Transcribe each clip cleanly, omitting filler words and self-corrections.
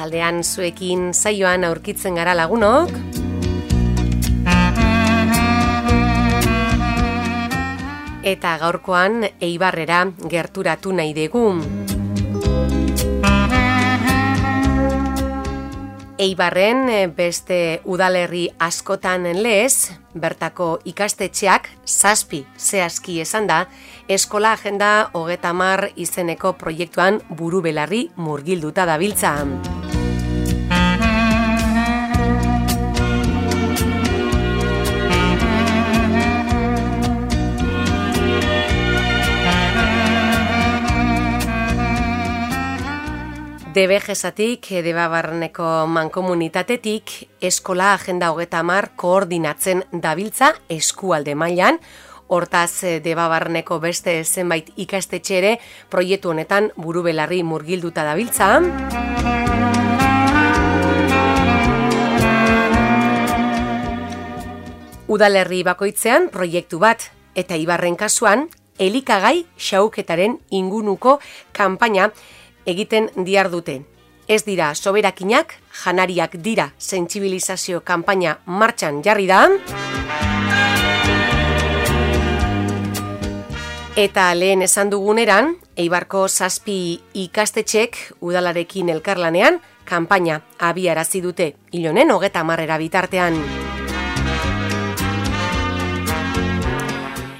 arratsaldean zuekin saioan aurkitzen gara lagunok. Eta gaurkoan Eibarrera gerturatu nahi dugu. Eibarren beste udalerri askotan lez, bertako ikastetxeak 7 zehazki esan da, Eskola Agenda 30 izeneko proiektuan buru belarri murgilduta dabiltza. DBGesatik, Debabarreneko mankomunitatetik, Eskola Agenda 30 koordinatzen dabiltza eskualde mailan. Hortaz, Debabarreneko beste zenbait ikastetxe ere proiektu honetan buru belarri murgilduta dabiltza. Udalerri bakoitzean proiektu bat, eta Eibarren kasuan, elikagai xahuketaren ingunuko kanpaina egiten dihardute. Ez dira soberakinak, janariak dira sentsibilizazio kanpaina martxan jarri da. Eta lehen esan duguneran, Eibarko 7 ikastetxek udalarekin elkarlanean kanpaina abiarazi dute ilonen 30 bitartean.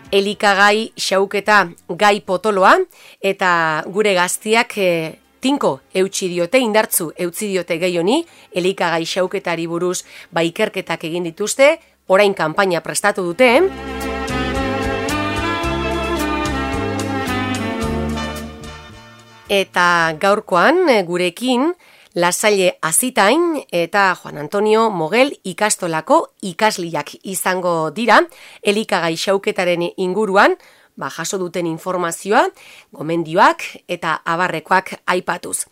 Elikagai xahuketa gai potoloa eta gure gaztiak tinko eutsi diote, indartzu eutsi diote gai honi, elikagai xahuketari buruz ikerketak egin dituzte, orain kanpaina prestatu dute. Eta gaurkoan gurekin Lasalle Azitain eta Juan Antonio Mogel ikastolako ikasliak izango dira, elikagai xahuketaren inguruan, jaso duten informazioa, gomendioak eta abarrekoak aipatuz.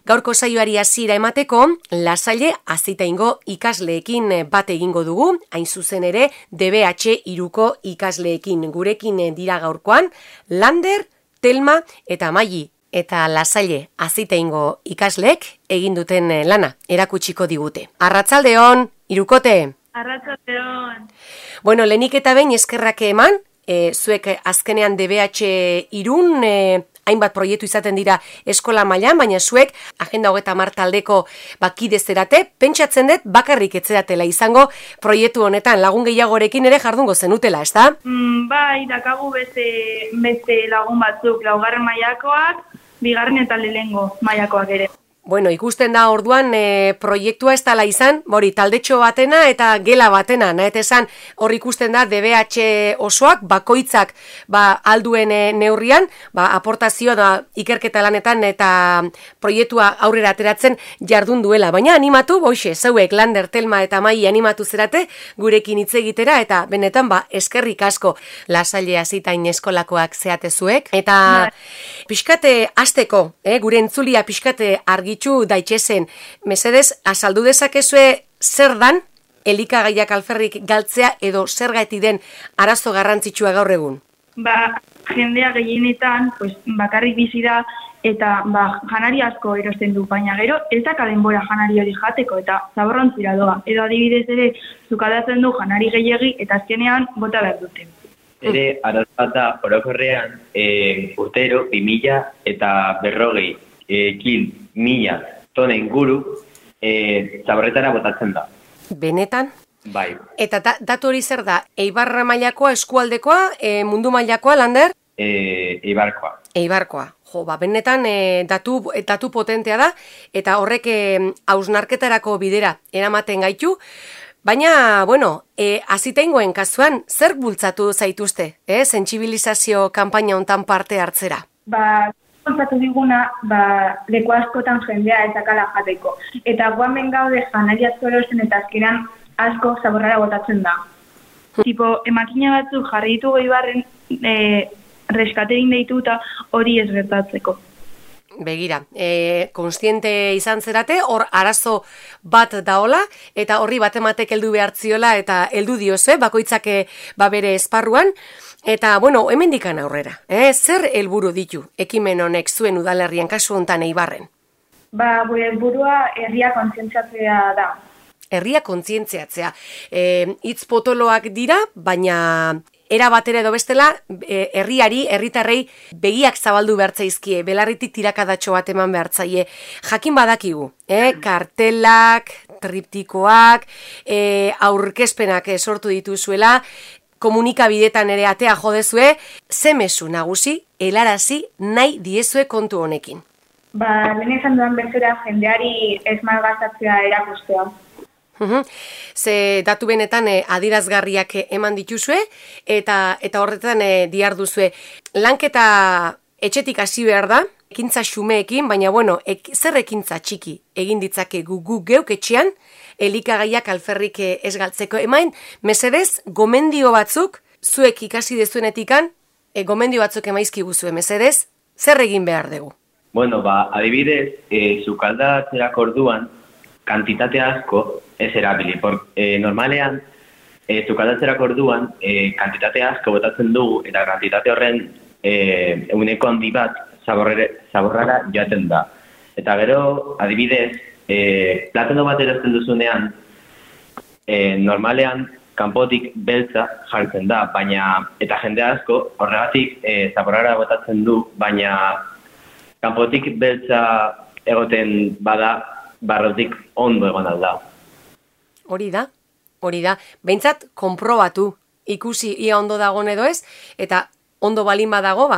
Gaurko saioari hasiera emateko, Lasalle Azitaingo ikasleekin bat egingo dugu, hain zuzen ere DBH 3ko ikasleekin. Gurekin dira gaurkoan, Lander, Telma eta Maili. Eta Lasalle Azitaingo ikasleek egin duten lana erakutsiko digute. Arratsaldeon, hirukote. Arratsaldeon. Bueno, lehenik eta behin eskerrak eman, zuek azkenean DBH 3 hainbat proiektu izaten dira eskola mailan, baina zuek Agenda 30 taldeko kide zerate, pentsatzen dut bakarrik etzeratela izango proiektu honetan lagun gehiagorekin ere jardungo zenutela, ezta? Bai, dakagu beste lagun batzuk, 2. mailakoak, 2. eta 4. mailakoak ere. Bueno, ikusten da orduan proiektua ez dela izan, taldetxo batena eta gela batena, esan hor ikusten da DBH osoak, bakoitzak alduen neurrian, aportazio da ikerketa lanetan eta proiektua aurrera ateratzen jardun duela. Baina animatu, zeuek Lander, Telma eta Maili animatu zerate gurekin hitz egitera eta benetan eskerrik asko Lasalle Azitain eskolakoak zeate zuek. Eta pixkate hasteko, gure entzulia pixkate argitu daitxezen, mesedez, azaldu dezakezue zer dan elikagaiak alferrik galtzea edo zergatik den arazo garrantzitsua gaur egun? Jendea gehienetan bakarrik bizi da eta janari asko erosten du, baina gero ez daka denbora janari hori jateko eta zaborrontzira doa. Edo adibidez ere zukadatzen du janari gehiegi eta azkenean bota behar dute. Ere, arazata orokorrean urtero 2000 eta 40 kil 1000 tona inguru zaborretara botatzen da. Benetan? Bai. Eta datu hori zer da? Eibarra mailakoa, eskualdekoa, mundu mailakoa, Lander? Eibarkoa. Eibarkoa. Benetan datu potentea da, eta horrek hausnarketarako bidera eramaten gaitu. Baina, Azitaingoen kasuan, zer bultzatu zaituzte, sentsibilizazio kanpaina hontan parte hartzera? Bultzatu diguna, leku askotan jendea ez dakala jateko. Eta guamen gaude janari asko erosten eta azkenan asko zaborrara botatzen da. Emakina batzuk jarri ditugu Eibarren reskaterin deituta hori ez gertatzeko. Begira, konstiente izan zerate, hor arazo bat daola, eta horri batematek heldu behartziola, eta heldu dioze, bakoitzak bere esparruan, eta, hemendikan aurrera, zer helburu ditu ekimen honek zuen udalerrien kasu hontan Eibarren? Gure helburua herria kontzientziatzea da. Herria kontzientziatzea. Hitz potoloak dira, baina era batera edo bestela, herritarrei begiak zabaldu behartzaizkie, belarritik tirakadatxo bat eman behartzaie. Jakin badakigu, kartelak, triptikoak, aurkezpenak sortu dituzuela, komunikabidetan ere atea jodezue, ze mezu nagusi, helarazi nahi diezue kontu honekin. Lehen izan duan bezera jendeari ez malgastatzea erakustea. Ze datu benetan adirazgarriak eman dituzue eta horretan diharduzue. Lanketa etxetik hasi behar da, ekintza xumeekin, baina zer ekintza txiki egin ditzakegu gu geuk etxean, elikagaiak alferrik ez galtzeko. Emain, mesedez, gomendio batzuk, zuek ikasi dezuenetikan, gomendio batzuk emaizki guzue, mesedez, zer egin behar dugu? Adibidez, sukaldatzerako orduan, kantitate asko ez erabili. Normalean, sukaldatzerako orduan, kantitate asko botatzen dugu, eta kantitate horren eguneko handi bat zaborrara joaten da. Eta gero, adibidez, platano bat erosten duzunean, normalean, kanpotik beltza jartzen da, eta jende asko horregatik zaborrara botatzen du, baina kanpotik beltza egoten bada, barrotik ondo egon alda. Hori da. Behintzat, konprobatu, ikusi ia ondo dagoen edo ez, eta ondo balin badago,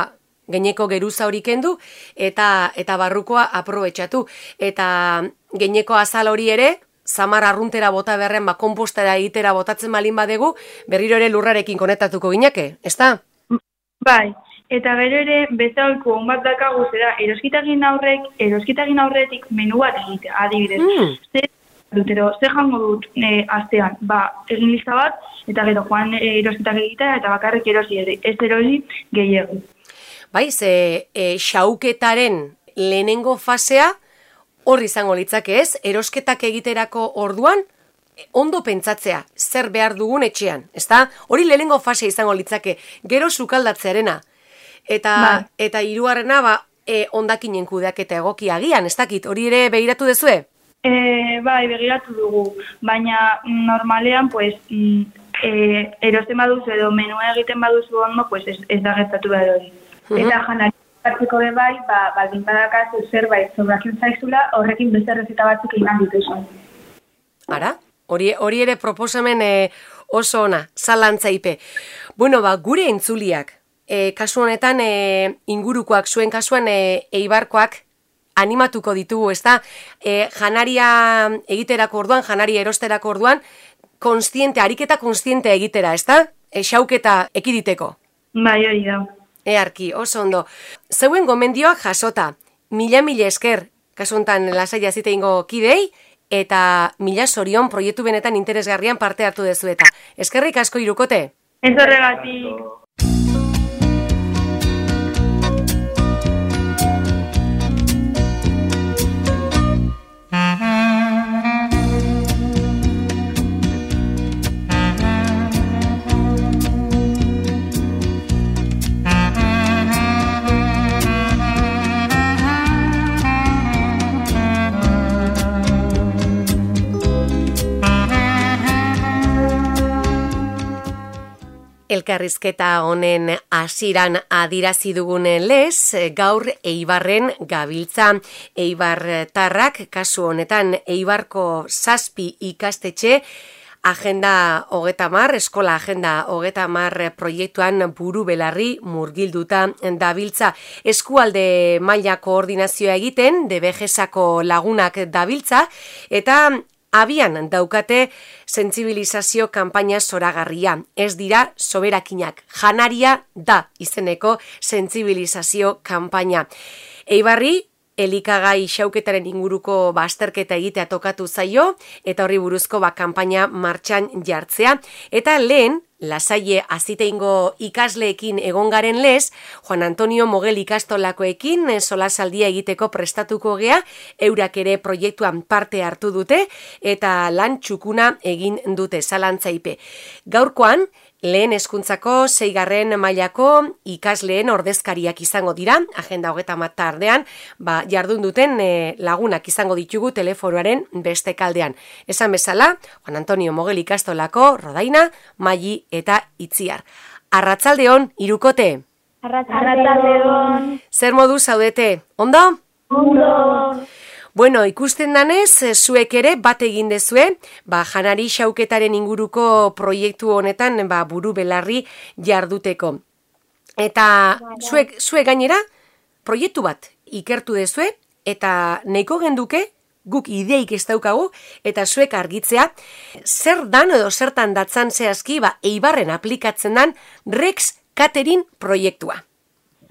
gaineko geruza hori kendu, eta barrukoa aprobetxatu. Eta gaineko azal hori ere, zamar arruntera bota berren, konpostera egitera botatzen balin badegu, berriro ere lurrarekin konektatuko gineke, ezta? Bai. Eta gero ere, bezalko on bat dakagu zera, eroskitagin aurretik menu bat egitea, adibidez. Ze jango dut astean, egin lista bat, eta gero joan eroskitak egitea, eta bakarrik erosi ere, ez erosi gehiago. Bai, xauketaren lehenengo fasea, hor izango litzake ez, erosketak egiterako orduan, ondo pentsatzea, zer behar dugun etxean, ezta? Hori lehenengo fasea izango litzake, gero sukaldatzearena. Eta hirugarrena hondakinen kudeaketa egokia agian, ez dakit, hori ere begiratu dezue? Bai, begiratu dugu, baina normalean, erosten baduzu edo menua egiten baduzu ondo, ez da gertatu behar hori. Eta janari hartzeko bai, baldin badakazu zerbait sobratzen zaizula, horrekin beste errezeta batzuk egin dituzu. Ara, hori ere proposamen oso ona, zalantzaipe. Gure entzuliak, kasu honetan ingurukoak, zuen kasuan Eibarkoak animatuko ditugu, ezta? Janaria egiterako orduan, janaria erosterako orduan, ariketa konstiente egitera, ezta? Xauketa ekiditeko. Bai, hori da. Earki, oso ondo. Zeuen gomendioak jasota, mila esker, kasu honetan lasaia ziteingo kidei, eta mila zorion proiektu benetan interesgarrian parte hartu dezu eta. Eskerrik asko Hirukote. Ez horregatik. Elkarrizketa honen hasiran adirazi dugun lez, gaur Eibarren gabiltza. Eibartarrak, kasu honetan Eibarko 7 ikastetxe, Agenda 30, Eskola Agenda 30 proiektuan buru belarri murgilduta dabiltza. Eskualde maila koordinazioa egiten, DBGSako lagunak dabiltza, eta abian daukate sentsibilizazio kanpaina zoragarria. Ez dira soberakinak. Janaria da izeneko sentsibilizazio kanpaina. Eibarri, elikagai xauketaren inguruko azterketa egitea tokatu zaio, eta horri buruzko kanpaina martxan jartzea. Eta lehen, Lasaie aziteingo ikasleekin egongaren lez, Juan Antonio Mogel ikastolakoekin solasaldia egiteko prestatuko gea, eurak ere proiektuan parte hartu dute, eta lan txukuna egin dute zalantzaipe. Gaurkoan, lehen hezkuntzako 6. mailako ikasleen ordezkariak izango dira, agenda 30 tardean, jardun duten lagunak izango ditugu telefonoaren beste kaldean. Esan bezala, Juan Antonio Mogel ikastolako Rodaina, Maili eta Itziar. Arratsaldeon, hirukote. Arratsaldeon. Zer modu zaudete? Ondo? Ondo. Bueno, ikusten danez, zuek ere bat egin dezue, janari xauketaren inguruko proiektu honetan buru belarri jarduteko. Eta zuek gainera, proiektu bat ikertu dezue, eta nahiko genduke, guk ideik ez daukagu, eta zuek argitzea, zer dan edo zertan datzan zehazki, Eibarren aplikatzen dan Rex Catering proiektua.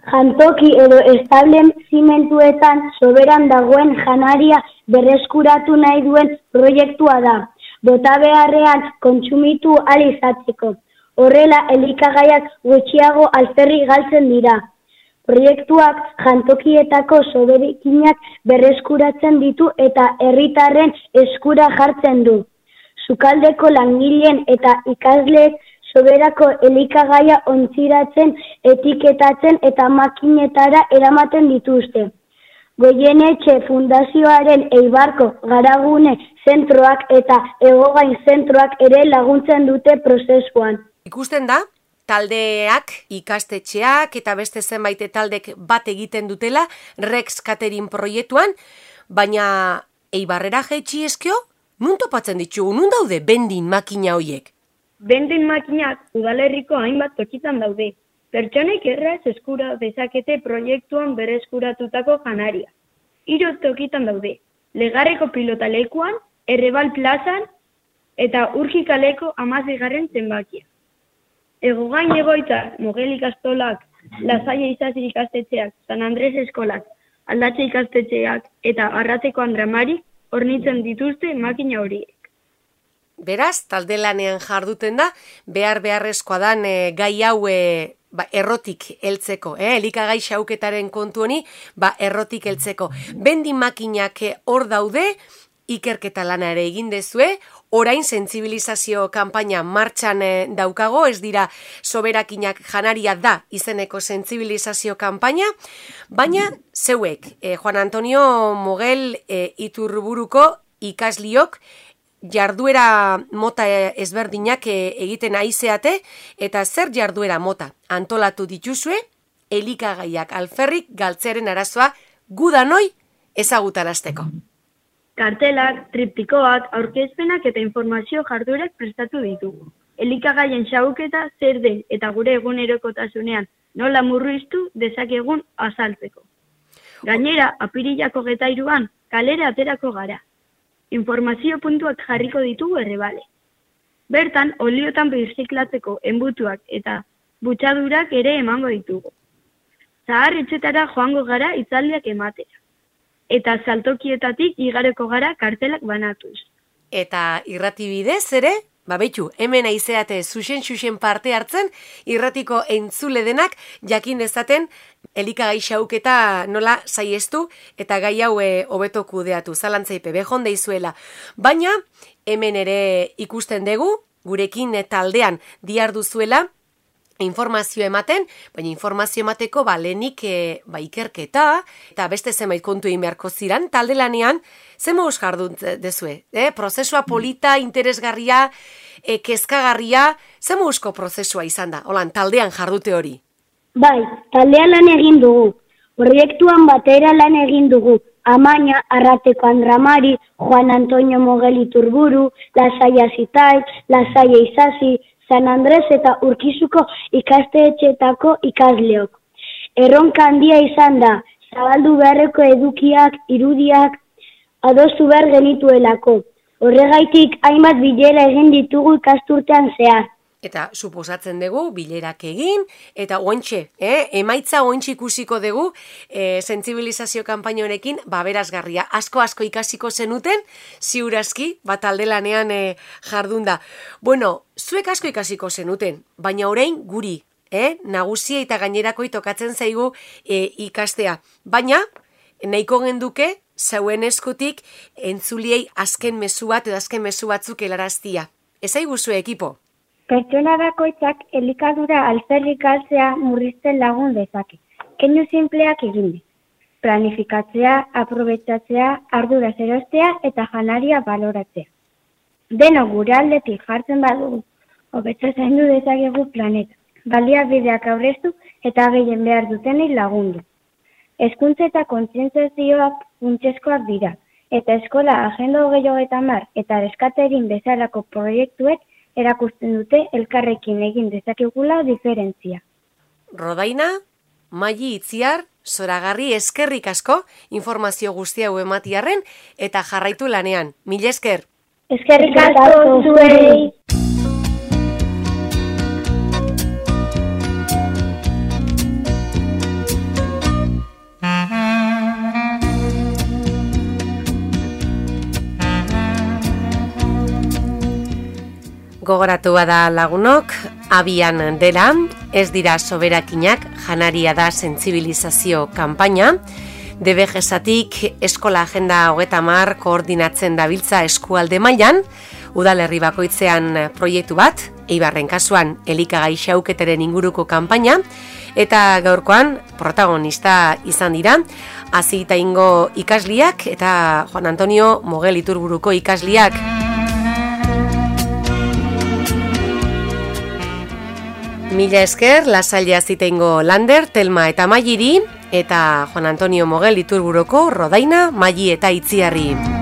Jantoki edo establezimentuetan soberan dagoen janaria berreskuratu nahi duen proiektua da, bota beharrean kontsumitu ahal izatzeko. Horrela, elikagaiak gutxiago alferrik galtzen dira. Proiektuak jantokietako soberakinak berreskuratzen ditu eta herritarren eskura jartzen du. Sukaldeko langileen eta ikasleek soberako elikagaia ontziratzen, etiketatzen eta makinetara eramaten dituzte. Goienetxe Fundazioaren Eibarko Garagune zentroak eta Egogain zentroak ere laguntzen dute prozesuan. Ikusten da, taldeak, ikastetxeak eta beste zenbait taldek bat egiten dutela Rex Catering proiektuan, baina Eibarrera jaitsi eskio, nun topatzen ditugu, nun daude vending makina hoiek? Vending makinak udalerriko hainbat tokitan daude. Pertsonek erraz eskura dezakete proiektuan berreskuratutako janaria. 3 tokitan daude. Legarreko pilotalekuan, Errebal plazan eta Urkikaleko 16. zenbakia. Egogain egoitza, Mogel ikastolak, Lasaia Isasi ikastetxeak, San Andres eskolak, Aldatxe ikastetxeak eta Arrateko Andramarik hornitzen dituzte makina horiek. Beraz, talde lanean jarduten da, beharrezkoa dan gai hau errotik heltzeko, elikagai xauketaren kontu honi, errotik heltzeko. Vending makinak hor daude, ikerketa lana ere egin dezue, orain sentsibilizazio kanpaina martxan daukago, ez dira soberakinak janaria da izeneko sentsibilizazio kanpaina, baina zeuek, Juan Antonio Mogel Iturburuko ikasliok, jarduera mota ezberdinak egiten aizeate, eta zer jarduera mota antolatu dituzue, elikagaiak alferrik galtzearen arazoa gudanoi ezagutarazteko. Kartelak, triptikoak, aurkezpenak eta informazio jarduerak prestatu ditugu. Elikagaien xahuketa zer den eta gure egunerokotasunean nola murriztu dezakegun azaltzeko. Gainera, apirilako 23an kalera aterako gara. Informazio puntuak jarriko ditugu Errebale. Bertan, oliotan birziklatzeko enbutuak eta butxadurak ere emango ditugu. Zahar etxetara joango gara hitzaldiak ematera. Eta saltokietatik igareko gara kartelak banatuz. Eta irrati bidez ere, beitu, hemen aizeate zuzen parte hartzen, irratiko entzule denak jakin dezaten elikagai xauketa nola saiestu eta gai hau hobeto kudeatu, zalantzaipe behon deizuela. Baina, hemen ere ikusten dugu, gurekin taldean diarduzuela, informazio ematen, baina informazio emateko lehenik ikerketa, eta beste zenbait kontu egin beharko ziran, talde lanean, zen moduz jardun dezue? Prozesua polita, interesgarria, kezkagarria, zen moduzko prozesua izan da? Holan, taldean jardute hori? Bai, taldean lan egin dugu. Proiektuan batera lan egin dugu. Amaña, Arrateko Andramari, Juan Antonio Mogel Iturburu, Lasaia Zitai, Lasaia Isasi, San Andres eta Urkizuko ikastetxeetako ikasleok. Erronka handia izan da, zabaldu beharreko edukiak, irudiak, adostu behar genituelako. Horregaitik hainbat bilera egin ditugu ikasturtean zehar. Eta suposatzen dugu, bilerak egin, eta ointxe, emaitza ointxe ikusiko dugu, sentsibilizazio kanpaina honekin, berazgarria. Asko ikasiko zenuten, ziurazki, talde lanean jardunda. Bueno, zuek asko ikasiko zenuten, baina orain guri, nagusia eta gainerakoi tokatzen zaigu ikastea. Baina, nahiko genduke, zauen eskutik, entzuliei azken mezu bat edo azken mezu batzuk helaraztia. Ez aiguzu ekipo? Pertsona bakoitzak elikadura alferrik galtzea murrizten lagun dezake. Keinu sinpleak egin. Planifikatzea, aprobetxatzea, arduraz erostea eta janaria baloratzea. Deno gure aldetik jartzen badugu, hobeto zaindu dezakegu planeta. Baliabideak aurreztu eta gehien behar dutenei lagundu. Hezkuntza eta kontzientziazioak funtsezkoak dira, eta eskola agenda 2030 eta Reskaterin bezalako proiektuek erakusten dute elkarrekin egin dezakegula diferentzia. Rodaina, Maili Itziar, zoragarri eskerrik asko informazio guzti hau ematiarren eta jarraitu lanean. Mila esker. Eskerrik asko zuei. Gogoratu bada lagunok, abian dela, ez dira soberakinak, janaria da sentsibilizazio kanpaina, DBGesatik eskola agenda 30 koordinatzen dabiltza eskualde mailan, udalerri bakoitzean proiektu bat, Eibarren kasuan elikagai xauketeren inguruko kanpaina, eta gaurkoan protagonista izan dira, Azitaingo ikasliak eta Juan Antonio Mogel Iturburuko ikasliak. Mila esker, Lasalle Azitaingo Lander, Telma eta Mailiri, eta Juan Antonio Mogel Iturburuko Rodaina, Maili eta Itziarri.